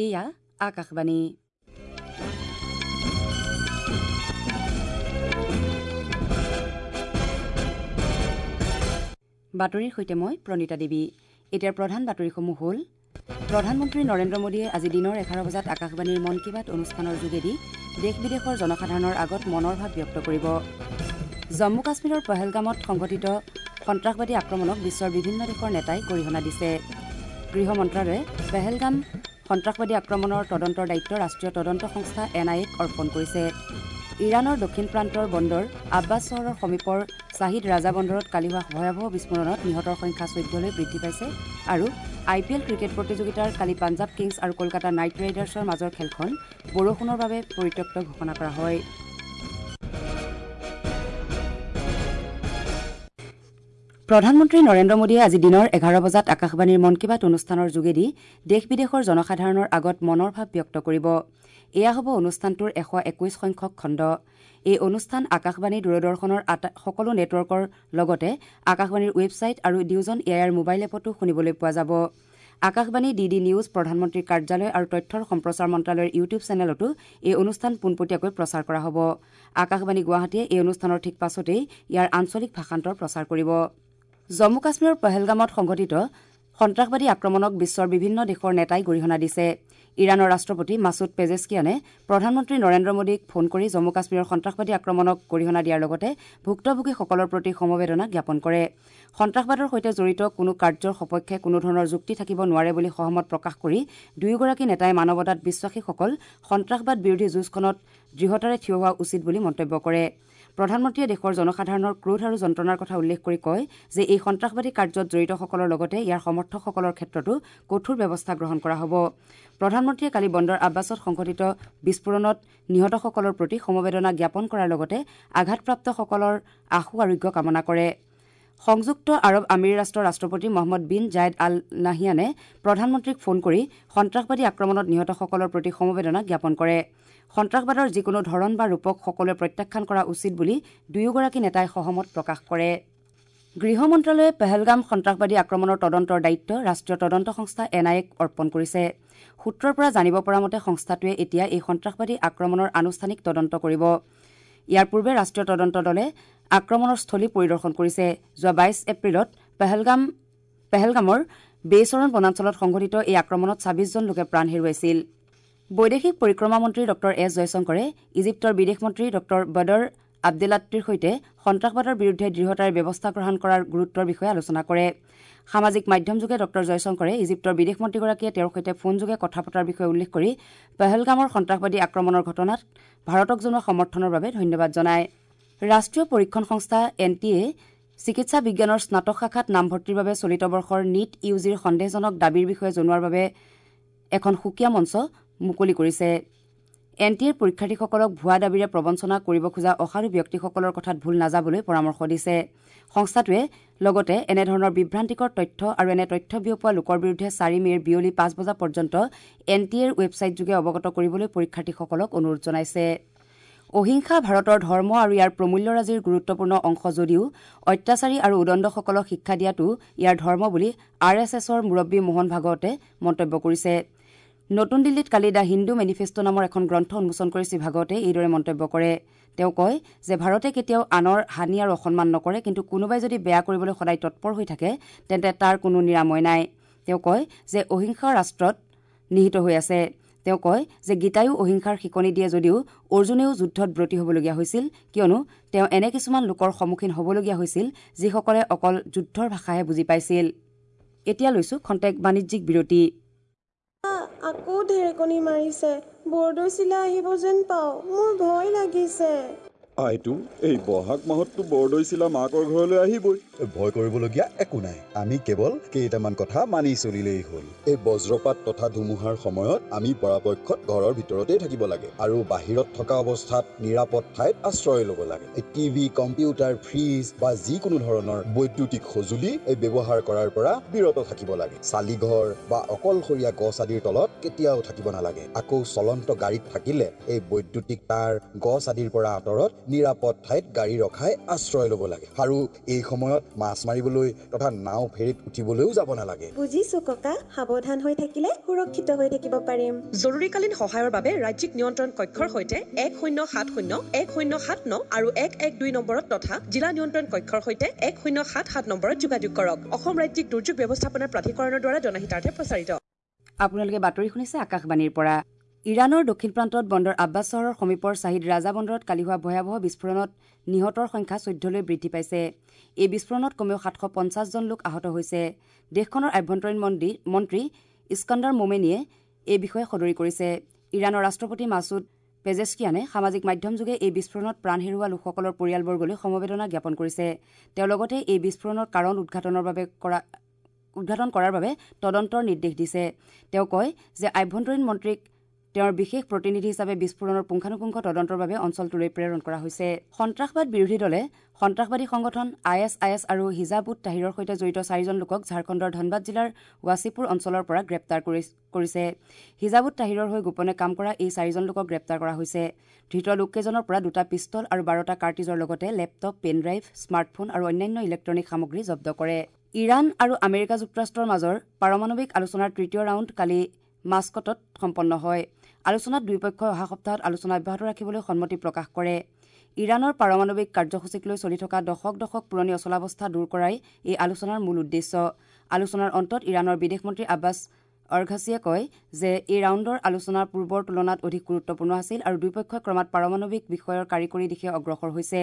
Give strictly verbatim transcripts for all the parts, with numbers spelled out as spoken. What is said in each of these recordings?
এয়া আকাশবাণী। বাতৰিৰ সৈতে মই প্ৰণীতা দেৱী। এতিয়াৰ প্ৰধান বাতৰিসমূহ হ'ল: প্ৰধানমন্ত্ৰী নৰেন্দ্ৰ মোদীয়ে আজি দিনৰ এঘাৰ বজাত আকাশবাণীৰ মন কী বাত অনুষ্ঠানৰ যোগেদি দেশ বিদেশৰ জনসাধাৰণৰ আগত মনৰ ভাৱ ব্যক্ত কৰিব। জম্মু কাশ্মীৰৰ পহলগামত সংঘটিত সন্ত্ৰাসবাদী আক্ৰমণক বিশ্বৰ বিভিন্ন দেশৰ নেতাই গৰিহণা দিছে। গৃহ মন্ত্ৰালয়ে পহলগাম সন্ত্ৰাসবাদী আক্ৰমণৰ তদন্তৰ দায়িত্ব ৰাষ্ট্ৰীয় তদন্ত সংস্থা এন আই এক অৰ্পণ কৰিছে। ইৰাণৰ দক্ষিণ প্ৰান্তৰ বন্দৰ আব্বাছ চহৰৰ সমীপৰ শ্বাহিদ ৰাজা বন্দৰত কালি হোৱা ভয়াৱহ বিস্ফোৰণত নিহতৰ সংখ্যা চৈধ্যলৈ বৃদ্ধি পাইছে। আৰু আই পি এল ক্ৰিকেট প্ৰতিযোগিতাৰ কালি পাঞ্জাৱ কিংছ আৰু কলকাতা নাইট ৰাইডাৰ্ছৰ মাজৰ খেলখন বৰষুণৰ বাবে পৰিত্যক্ত ঘোষণা কৰা হয়। প্ৰধানমন্ত্ৰী নৰেন্দ্ৰ মোদীয়ে আজি দিনৰ এঘাৰ বজাত আকাশবাণীৰ মন কী বাত অনুষ্ঠানৰ যোগেদি দেশ বিদেশৰ জনসাধাৰণৰ আগত মনৰ ভাৱ ব্যক্ত কৰিব। এয়া হ'ব অনুষ্ঠানটোৰ এশ একৈশ সংখ্যক খণ্ড। এই অনুষ্ঠান আকাশবাণী, দূৰদৰ্শনৰ সকলো নেটৱৰ্কৰ লগতে আকাশবাণীৰ ৱেবছাইট আৰু news on A I R mobile এপতো শুনিবলৈ পোৱা যাব। আকাশবাণী, ডি ডি নিউজ, প্ৰধানমন্ত্ৰীৰ কাৰ্যালয় আৰু তথ্যৰ সম্প্ৰচাৰ মন্ত্ৰালয়ৰ ইউটিউব চেনেলতো এই অনুষ্ঠান পোনপটীয়াকৈ প্ৰচাৰ কৰা হ'ব। আকাশবাণী গুৱাহাটীয়ে এই অনুষ্ঠানৰ ঠিক পাছতেই ইয়াৰ আঞ্চলিক ভাষান্তৰ প্ৰচাৰ কৰিব। জম্মু কাশ্মীৰৰ পহলগামত সংঘটিত সন্ত্ৰাসবাদী আক্ৰমণক বিশ্বৰ বিভিন্ন দেশৰ নেতাই গৰিহণা দিছে। ইৰাণৰ ৰাষ্ট্ৰপতি মাছুদ পেজেছকিয়ানে প্ৰধানমন্ত্ৰী নৰেন্দ্ৰ মোদীক ফোন কৰি জম্মু কাশ্মীৰৰ সন্ত্ৰাসবাদী আক্ৰমণক গৰিহণা দিয়াৰ লগতে ভুক্তভোগীসকলৰ প্ৰতি সমবেদনা জ্ঞাপন কৰে। সন্ত্ৰাসবাদৰ সৈতে জড়িত কোনো কাৰ্যৰ সপক্ষে কোনো ধৰণৰ যুক্তি থাকিব নোৱাৰে বুলি সহমত প্ৰকাশ কৰি দুয়োগৰাকী নেতাই মানৱতাত বিশ্বাসীসকল সন্ত্ৰাসবাদ বিৰোধী যুঁজখনত দৃঢ়তাৰে থিয় হোৱা উচিত বুলি মন্তব্য কৰে। প্ৰধানমন্ত্ৰীয়ে দেশৰ জনসাধাৰণৰ ক্ৰোধ আৰু যন্ত্ৰণাৰ কথা উল্লেখ কৰি কয় যে এই সন্ত্ৰাসবাদী কাৰ্যত জড়িতসকলৰ লগতে ইয়াৰ সমৰ্থকসকলৰ ক্ষেত্ৰতো কঠোৰ ব্যৱস্থা গ্ৰহণ কৰা হ'ব। প্ৰধানমন্ত্ৰীয়ে কালি বন্দৰ আব্বাছত সংঘটিত বিস্ফোৰণত নিহতসকলৰ প্ৰতি সমবেদনা জ্ঞাপন কৰাৰ লগতে আঘাতপ্ৰাপ্তসকলৰ আশু আৰোগ্য কামনা কৰে। সংযুক্ত আৰৱ আমিৰ ৰাষ্ট্ৰৰ ৰাষ্ট্ৰপতি মহম্মদ বিন জায়েদ আল নাহিয়ানে প্ৰধানমন্ত্ৰীক ফোন কৰি সন্ত্ৰাসবাদী আক্ৰমণত নিহতসকলৰ প্ৰতি সমবেদনা জ্ঞাপন কৰে। সন্ত্ৰাসবাদৰ যিকোনো ধৰণ বা ৰূপক সকলোৱে প্ৰত্যাখ্যান কৰা উচিত বুলি দুয়োগৰাকী নেতাই সহমত প্ৰকাশ কৰে। গৃহ মন্ত্ৰালয়ে পহলগাম সন্ত্ৰাসবাদী আক্ৰমণৰ তদন্তৰ দায়িত্ব ৰাষ্ট্ৰীয় তদন্ত সংস্থা এন আই এক অৰ্পণ কৰিছে। সূত্ৰৰ পৰা জানিব পৰা মতে সংস্থাটোৱে এতিয়া এই সন্ত্ৰাসবাদী আক্ৰমণৰ আনুষ্ঠানিক তদন্ত কৰিব। ইয়াৰ পূৰ্বে ৰাষ্ট্ৰীয় তদন্ত দলে আক্ৰমণৰ স্থলী পৰিদৰ্শন কৰিছে। যোৱা বাইছ এপ্ৰিলত পহলগাম পহলগামৰ বেইচৰণ বনাঞ্চলত সংঘটিত এই আক্ৰমণত ছাব্বিছজন লোকে প্ৰাণ হেৰুৱাইছিল। বৈদেশিক পৰিক্ৰমা মন্ত্ৰী ডঃ এছ জয়শংকৰে ইজিপ্তৰ বিদেশ মন্ত্ৰী ডঃ বদৰ আব্দেলাত্তিৰ সৈতে সন্ত্ৰাসবাদৰ বিৰুদ্ধে দৃঢ়তাৰে ব্যৱস্থা গ্ৰহণ কৰাৰ গুৰুত্বৰ বিষয়ে আলোচনা কৰে। সামাজিক মাধ্যমযোগে ডঃ জয়শংকৰে ইজিপ্তৰ বিদেশ মন্ত্ৰীগৰাকীয়ে তেওঁৰ সৈতে ফোনযোগে কথা পতাৰ বিষয়ে উল্লেখ কৰি পহলগামৰ সন্ত্ৰাসবাদী আক্ৰমণৰ ঘটনাত ভাৰতক জনোৱা সমৰ্থনৰ বাবে ধন্যবাদ জনায়। ৰাষ্ট্ৰীয় পৰীক্ষণ সংস্থা এন টি এ চিকিৎসা বিজ্ঞানৰ স্নাতক শাখাত নামভৰ্তিৰ বাবে চলিত বৰ্ষৰ নীট ইউ জিৰ সন্দেহজনক দাবীৰ বিষয়ে জনোৱাৰ বাবে এখন সুকীয়া মঞ্চ মুকলি কৰিছে। এন টি এৰ পৰীক্ষাৰ্থীসকলক ভুৱা দাবীৰে প্ৰবঞ্চনা কৰিব খোজা অসাধু ব্যক্তিসকলৰ কথাত ভুল নাযাবলৈ পৰামৰ্শ দিছে। সংস্থাটোৱে লগতে এনেধৰণৰ বিভ্ৰান্তিকৰ তথ্য আৰু এনে তথ্য বিয়পোৱা লোকৰ বিৰুদ্ধে চাৰি মে'ৰ বিয়লি পাঁচ বজা পৰ্যন্ত এন টি এৰ ৱেবছাইটযোগে অৱগত কৰিবলৈ পৰীক্ষাৰ্থীসকলক অনুৰোধ জনাইছে। অহিংসা ভাৰতৰ ধৰ্ম আৰু ইয়াৰ প্ৰমূল্যৰাজিৰ গুৰুত্বপূৰ্ণ অংশ যদিও অত্যাচাৰী আৰু উদণ্ডসকলক শিক্ষা দিয়াটো ইয়াৰ ধৰ্ম বুলি আৰ এছ এছৰ মুৰব্বী মোহন ভাগৱতে মন্তব্য কৰিছে। নতুন দিল্লীত কালি the Hindu manifesto নামৰ এখন গ্ৰন্থ উন্মোচন কৰি শ্ৰীভাগৱতে এইদৰে মন্তব্য কৰে। তেওঁ কয় যে ভাৰতে কেতিয়াও আনৰ হানি আৰু অসন্মান নকৰে, কিন্তু কোনোবাই যদি বেয়া কৰিবলৈ সদায় তৎপৰ হৈ থাকে তেন্তে তাৰ কোনো নিৰাময় নাই। তেওঁ কয় যে অহিংসা ৰাষ্ট্ৰত নিহিত হৈ আছে। তেওঁ কয় যে গীতায়ো অহিংসাৰ শিকনি দিয়ে যদিও অৰ্জুনেও যুদ্ধত ব্ৰতী হ'বলগীয়া হৈছিল, কিয়নো তেওঁ এনে কিছুমান লোকৰ সন্মুখীন হ'বলগীয়া হৈছিল যিসকলে অকল যুদ্ধৰ ভাষাহে বুজি পাইছিল। এতিয়া লৈছো খন্তেক বাণিজ্যিক বিৰতি। আকৌ ঢেৰেকনি মাৰিছে, বৰদৈচিলা আহিব যেন পাওঁ, মোৰ ভয় লাগিছে। আইতো, এই বহাগ মাহততো বৰদৈচিলা মাকৰ ঘৰলৈ আহিবই। ভয় কৰিবলগীয়া একো নাই, আমি কেৱল কেইটামান কথা মানি চলিলেই হ'ল। এই বজ্ৰপাত তথা ধুমুহাৰ সময়ত আমি পৰাপক্ষত ঘৰৰ ভিতৰতেই থাকিব লাগে আৰু বাহিৰত থকা অৱস্থাত নিৰাপদ ঠাইত আশ্ৰয় ল'ব লাগে। এই টিভি, কম্পিউটাৰ, ফ্ৰিজ বা যিকোনো ধৰণৰ বৈদ্যুতিক সঁজুলি এই ব্যৱহাৰ কৰাৰ পৰা বিৰত থাকিব লাগে। চালিঘৰ বা অকলশৰীয়া গছ আদিৰ তলত কেতিয়াও থাকিব নালাগে। আকৌ চলন্ত গাড়ীত থাকিলে এই বৈদ্যুতিক তাঁৰ, গছ আদিৰ পৰা আঁতৰত নিৰাপদ ঠাইত গাড়ী ৰখাই আশ্ৰয় ল'ব লাগে আৰু এই সময়ত মাছ মাৰিবলৈ তথা নাও ফেৰীত উঠিবলৈও যাব নালাগে। বুজিছো ককা, সাৱধান হৈ থাকিলে সুৰক্ষিত হৈ থাকিব পাৰিম। জৰুৰীকালীন সহায়ৰ বাবে ৰাজ্যিক নিয়ন্ত্ৰণ কক্ষৰ সৈতে এক শূন্য সাত শূন্য এক শূন্য সাত ন আৰু এক এক দুই নম্বৰত তথা জিলা নিয়ন্ত্ৰণ কক্ষৰ সৈতে এক শূন্য সাত সাত নম্বৰত যোগাযোগ কৰক। অসম ৰাজ্যিক দুৰ্যোগ ব্যৱস্থাপনা প্ৰাধিকৰণৰ দ্বাৰা জনহিতাৰ্থে প্ৰচাৰিত। আপোনালোকে বাতৰি শুনিছে আকাশবাণীৰ পৰা। ইৰাণৰ দক্ষিণ প্ৰান্তত বন্দৰ আব্বাছ চহৰৰ সমীপৰ শ্বাহিদ ৰাজা বন্দৰত কালি হোৱা ভয়াৱহ বিস্ফোৰণত নিহতৰ সংখ্যা চৈধ্যলৈ বৃদ্ধি পাইছে। এই বিস্ফোৰণত কমেও সাতশ পঞ্চাছজন লোক আহত হৈছে। দেশখনৰ আভ্যন্তৰীণ মন্ত্ৰী ইস্কন্দৰ মোমেনীয়ে এই বিষয়ে সদৰি কৰিছে। ইৰাণৰ ৰাষ্ট্ৰপতি মাছুদ পেজেস্কিয়ানে সামাজিক মাধ্যমযোগে এই বিস্ফোৰণত প্ৰাণ হেৰুওৱা লোকসকলৰ পৰিয়ালবৰ্গলৈ সমবেদনা জ্ঞাপন কৰিছে। তেওঁ লগতে এই বিস্ফোৰণৰ কাৰণ উদ্ঘাটনৰ বাবে কৰা উদ্ঘাটন কৰাৰ বাবে তদন্তৰ নিৰ্দেশ দিছে। তেওঁ কয় যে আভ্যন্তৰীণ মন্ত্ৰীক তেওঁৰ বিশেষ প্ৰতিনিধি হিচাপে বিস্ফোৰণৰ পুংখানুপুংখ তদন্তৰ বাবে অঞ্চলটোলৈ প্ৰেৰণ কৰা হৈছে। সন্ত্ৰাসবাদ বিৰোধী দলে সন্ত্ৰাসবাদী সংগঠন I S I S আৰু হিজাব উট তাহিৰৰ সৈতে জড়িত চাৰিজন লোকক ঝাৰখণ্ডৰ ধনবাদ জিলাৰ ৱাছিপুৰ অঞ্চলৰ পৰা গ্ৰেপ্তাৰ কৰিছে। হিজাব উট তাহিৰৰ হৈ গোপনে কাম কৰা এই চাৰিজন লোকক গ্ৰেপ্তাৰ কৰা হৈছে। ধৃত লোককেইজনৰ পৰা দুটা পিষ্টল আৰু বাৰটা কাৰ্টিজৰ লগতে লেপটপ, পেন ড্ৰাইভ, স্মাৰ্টফোন আৰু অন্যান্য ইলেক্ট্ৰনিক সামগ্ৰী জব্দ কৰে। ইৰাণ আৰু আমেৰিকা যুক্তৰাষ্ট্ৰৰ মাজৰ পাৰমাণৱিক আলোচনাৰ তৃতীয় ৰাউণ্ড কালি মাস্কটত সম্পন্ন হয়। আলোচনাত দুয়োপক্ষই অহা সপ্তাহত আলোচনা অব্যাহত ৰাখিবলৈ সন্মতি প্ৰকাশ কৰে। ইৰাণৰ পাৰমাণৱিক কাৰ্যসূচীক লৈ চলি থকা দশক দশক পুৰণি অচলাৱস্থা দূৰ কৰাই এই আলোচনাৰ মূল উদ্দেশ্য। আলোচনাৰ অন্তত ইৰাণৰ বিদেশ মন্ত্ৰী আব্বাছ অৰ্ঘাছিয়ে কয় যে এই ৰাউণ্ডৰ আলোচনা পূৰ্বৰ তুলনাত অধিক গুৰুত্বপূৰ্ণ আছিল আৰু দুয়োপক্ষই ক্ৰমাৎ পাৰমাণৱিক বিষয়ৰ কাৰিকৰী দিশে অগ্ৰসৰ হৈছে।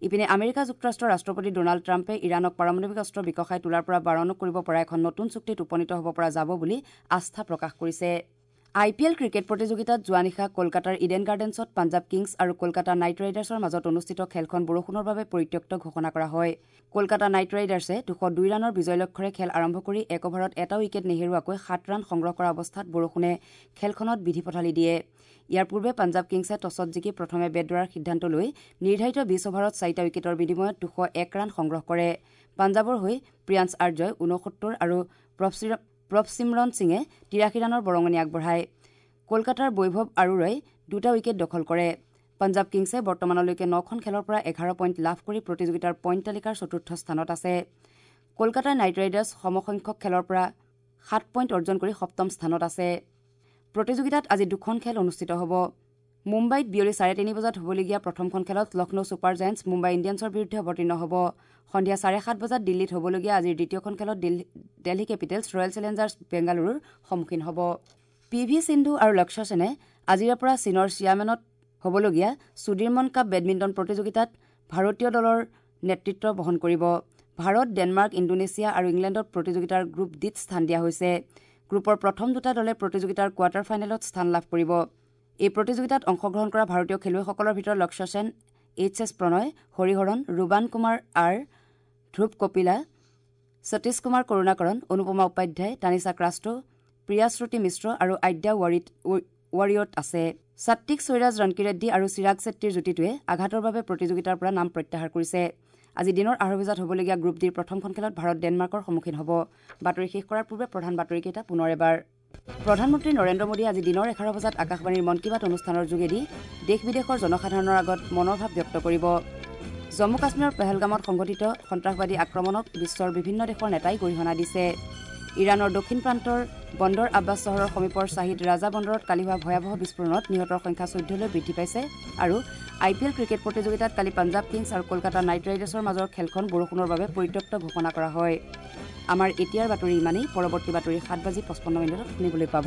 ইপিনে আমেৰিকা যুক্তৰাষ্ট্ৰৰ ৰাষ্ট্ৰপতি ড'নাল্ড ট্ৰাম্পে ইৰাণক পাৰমাণৱিক অস্ত্ৰ বিকশাই তোলাৰ পৰা বাৰণ কৰিব পৰা এখন নতুন চুক্তিত উপনীত হ'ব পৰা যাব বুলি আস্থা প্ৰকাশ কৰিছে। আই পি এল ক্ৰিকেট প্ৰতিযোগিতাত যোৱা নিশা কলকাতাৰ ইডেন গাৰ্ডেন্সত পাঞ্জাৱ কিংছ আৰু কলকাতা নাইট ৰাইডাৰ্ছৰ মাজত অনুষ্ঠিত খেলখন বৰষুণৰ বাবে পৰিত্যক্ত ঘোষণা কৰা হয়। কলকাতা নাইট ৰাইডাৰ্ছে দুশ দুই ৰানৰ বিজয় লক্ষ্যৰে খেল আৰম্ভ কৰি এক অভাৰত এটা উইকেট নেহেৰুৱাকৈ সাত ৰান সংগ্ৰহ কৰা অৱস্থাত বৰষুণে খেলখনত বিধি পথালি দিয়ে। ইয়াৰ পূৰ্বে পাঞ্জাৱ কিংছে টছত জিকি প্ৰথমে বেট ধৰাৰ সিদ্ধান্ত লৈ নিৰ্ধাৰিত বিছ অভাৰত চাৰিটা উইকেটৰ বিনিময়ত দুশ এক ৰান সংগ্ৰহ কৰে। পাঞ্জাৱৰ হৈ প্ৰিয়াংশ আৰ্যই ঊনসত্তৰ আৰু প্ৰভচিমৰন সিঙে তিৰাশী ৰানৰ বৰঙণি আগবঢ়ায়। কলকাতাৰ বৈভৱ আৰোৰাই দুটা উইকেট দখল কৰে। পাঞ্জাৱ কিংছে বৰ্তমানলৈকে নখন খেলৰ পৰা এঘাৰ পইণ্ট লাভ কৰি প্ৰতিযোগিতাৰ পইণ্ট তালিকাৰ চতুৰ্থ স্থানত আছে। কলকাতা নাইট ৰাইডাৰ্ছ সমসংখ্যক খেলৰ পৰা সাত পইণ্ট অৰ্জন কৰি সপ্তম স্থানত আছে। প্ৰতিযোগিতাত আজি দুখন খেল অনুষ্ঠিত হ'ব। মুম্বাইত বিয়লি চাৰে তিনি বজাত হ'বলগীয়া প্ৰথমখন খেলত লক্ষ্ণৌ ছুপাৰ জায়েণ্টছ মুম্বাই ইণ্ডিয়ানছৰ বিৰুদ্ধে অৱতীৰ্ণ হ'ব। সন্ধিয়া চাৰে সাত বজাত দিল্লীত হ'বলগীয়া আজিৰ দ্বিতীয়খন খেলত দিল্লী কেপিটেলছ ৰয়েল চেলেঞ্জাৰ্ছ বেংগালুৰুৰ সন্মুখীন হ'ব। পি ভি সিন্ধু আৰু লক্ষ্য সেনে আজিৰে পৰা চীনৰ চিয়ামেনত হ'বলগীয়া সুদীৰমন কাপ বেডমিণ্টন প্ৰতিযোগিতাত ভাৰতীয় দলৰ নেতৃত্ব বহন কৰিব। ভাৰত, ডেনমাৰ্ক, ইণ্ডোনেছিয়া আৰু ইংলেণ্ডত প্ৰতিযোগিতাৰ গ্ৰুপ ডিত স্থান দিয়া হৈছে। গ্ৰুপৰ প্ৰথম দুটা দলে প্ৰতিযোগিতাৰ কোৱাৰ্টাৰ ফাইনেলত স্থান লাভ কৰিব। এই প্ৰতিযোগিতাত অংশগ্ৰহণ কৰা ভাৰতীয় খেলুৱৈসকলৰ ভিতৰত লক্ষ্য সেন, এইচ এছ প্ৰণয়, হৰিহৰণ, ৰুবান কুমাৰ আৰ, ধ্ৰুৱ কপিলা, সতীশ কুমাৰ কৰুণাকৰণ, অনুপমা উপাধ্যায়, তানিশা ক্ৰাষ্টো, প্ৰিয়াশ্ৰুতি মিশ্ৰ আৰু আদ্যা ৱাৰিয়ত আছে। সাত্বিক সৈৰাজ ৰনকিৰেড্ডী আৰু চিৰাগ চেট্টীৰ যুটিটোৱে আঘাতৰ বাবে প্ৰতিযোগিতাৰ পৰা নাম প্ৰত্যাহাৰ কৰিছে। আজি দিনৰ আঢ়ৈ বজাত হ'বলগীয়া গ্ৰুপ ডিৰ প্ৰথমখন খেলত ভাৰত ডেনমাৰ্কৰ সন্মুখীন হ'ব। বাতৰি শেষ কৰাৰ পূৰ্বে প্ৰধান বাতৰিকেইটা পুনৰ এবাৰ। প্ৰধানমন্ত্ৰী নৰেন্দ্ৰ মোদীয়ে আজি দিনৰ এঘাৰ বজাত আকাশবাণীৰ মন কী বাত অনুষ্ঠানৰ যোগেদি দেশ বিদেশৰ জনসাধাৰণৰ আগত মনৰ ভাৱ ব্যক্ত কৰিব। জম্মু কাশ্মীৰৰ পেহেলগামত সংঘটিত সন্ত্ৰাসবাদী আক্ৰমণক বিশ্বৰ বিভিন্ন দেশৰ নেতাই গৰিহণা দিছে। ইৰাণৰ দক্ষিণ প্ৰান্তৰ বন্দৰ আব্বাছ চহৰৰ সমীপৰ শ্বাহিদ ৰাজা বন্দৰত কালি হোৱা ভয়াৱহ বিস্ফোৰণত নিহতৰ সংখ্যা চৈধ্যলৈ বৃদ্ধি পাইছে। আৰু আই পি এল ক্ৰিকেট প্ৰতিযোগিতাত কালি পাঞ্জাৱ কিংছ আৰু কলকাতা নাইট ৰাইডাৰ্ছৰ মাজৰ খেলখন বৰষুণৰ বাবে পৰিত্যক্ত ঘোষণা কৰা হয়। আমাৰ এতিয়াৰ বাতৰি ইমানেই। পৰৱৰ্তী বাতৰি সাত বাজি পঁচপন্ন মিনিটত শুনিবলৈ পাব।